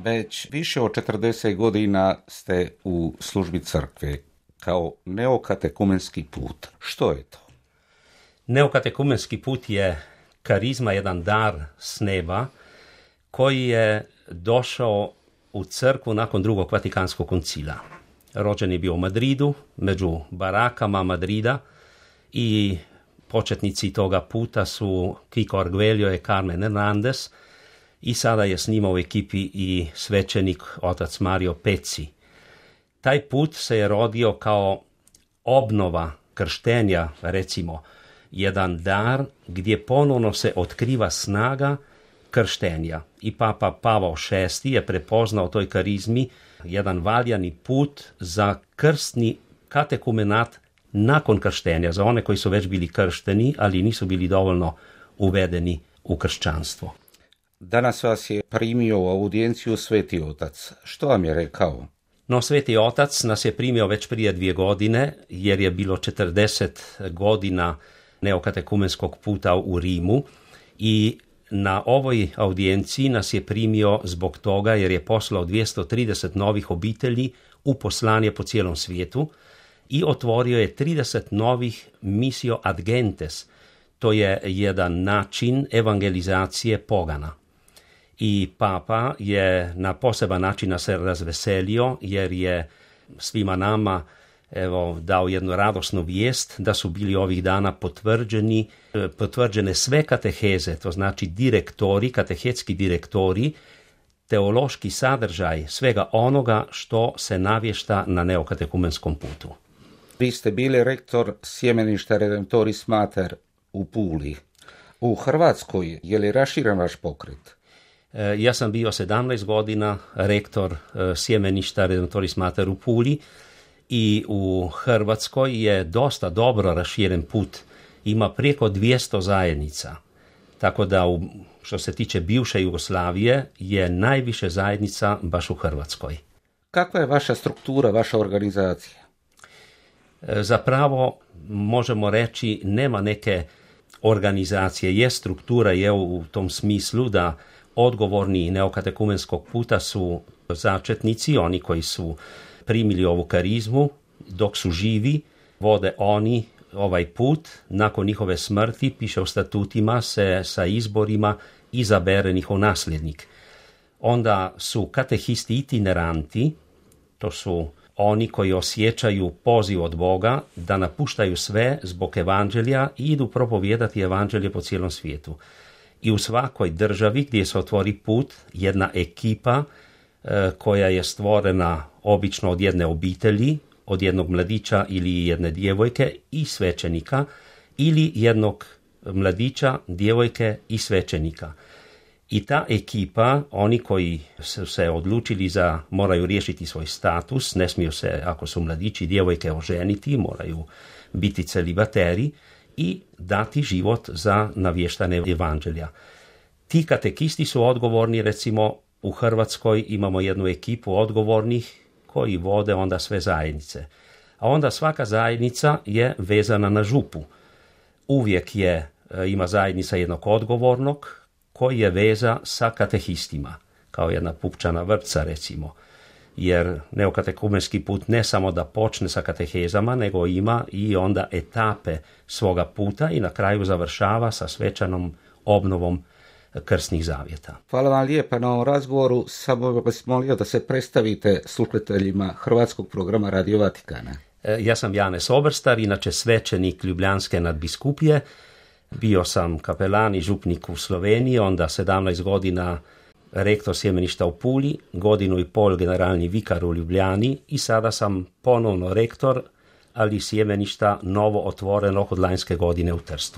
Već više od 40 godina ste u službi crkve kao neokatekumenski put. Što je to? Neokatekumenski put je karizma, jedan dar s neba koji je došao u crkvu nakon drugog Vatikanskog koncila. Rođen je bio u Madridu, među barakama Madrida, i početnici toga puta su Kiko Arguello i Carmen Hernandez, i sada je s njima u ekipi i svećenik otac Mario Pecci. Taj put se je rodio kao obnova krštenja, recimo, jedan dar gdje ponovno se otkriva snaga krštenja. I Papa Pavao VI je prepoznao toj karizmi jedan valjani put za krstni katekumenat nakon krštenja, za one koji su već bili kršteni, ali nisu bili dovoljno uvedeni u kršćanstvo. Danas vas je primio u audijenciju Sveti Otac. Što vam je rekao? No, Sveti Otac nas je primio već prije 2 godine, jer je bilo 40 godina neokatekumenskog puta u Rimu, i na ovoj audijenciji nas je primio zbog toga jer je poslao 230 novih obitelji u poslanje po cijelom svijetu i otvorio je 30 novih misio ad gentes. To je jedan način evangelizacije pogana. I Papa je na poseban način se razveselio jer je svima nama dao jednu radosnu vijest da su bili ovih dana potvrđene sve kateheze, to znači direktori, katehetski direktori, teološki sadržaj svega onoga što se navješta na neokatekumenskom putu. Vi ste bili rektor sjemeništa Redemptoris Mater u Puli. U Hrvatskoj je li raširen vaš pokret? Ja sam bio 17 godina rektor sjemeništa Redemptoris Mater u Puli, i u Hrvatskoj je dosta dobro raširen put. Ima preko 200 zajednica. Tako da, što se tiče bivše Jugoslavije, je najviše zajednica baš u Hrvatskoj. Kakva je vaša struktura, vaša organizacija? Zapravo, možemo reći, nema neke organizacije. Struktura je u tom smislu da odgovorni neokatekumenskog puta su začetnici, oni koji su primili ovu karizmu, dok su živi, vode oni ovaj put. Nakon njihove smrti, piše u statutima, se sa izborima izabere njihov nasljednik. Onda su katehisti itineranti, to su oni koji osjećaju poziv od Boga da napuštaju sve zbog evanđelja i idu propovijedati evanđelje po cijelom svijetu. I u svakoj državi gdje se otvori put, jedna ekipa koja je stvorena obično od jedne obitelji, od jednog mladića ili jedne djevojke i svećenika, ili jednog mladića, djevojke i svećenika. I ta ekipa, oni koji su se odlučili moraju riješiti svoj status, ne smiju se, ako su mladići i djevojke, oženiti, moraju biti celibateri i dati život za navještane evanđelja. Ti katekisti su odgovorni, recimo, u Hrvatskoj imamo jednu ekipu odgovornih koji vode onda sve zajednice. A onda svaka zajednica je vezana na župu. Uvijek ima zajednica jednog odgovornog koji je veza sa katehistima, kao jedna pupčana vrpca, recimo. Jer neokatekumenski put ne samo da počne sa katehezama, nego ima i onda etape svoga puta i na kraju završava sa svečanom obnovom krstnih zavjeta. Hvala vam lijepa na ovom razgovoru. Samo vas molio da se predstavite slušateljima hrvatskog programa Radio Vatikana. Ja sam Janez Oberstar, inače svećenik Ljubljanske nadbiskupije. Bio sam kapelan i župnik u Sloveniji, onda 17 godina rektor sjemeništa u Puli, 1.5 godina generalni vikar u Ljubljani i sada sam ponovno rektor, ali sjemeništa novo otvorenog od lanjske godine u Trstu.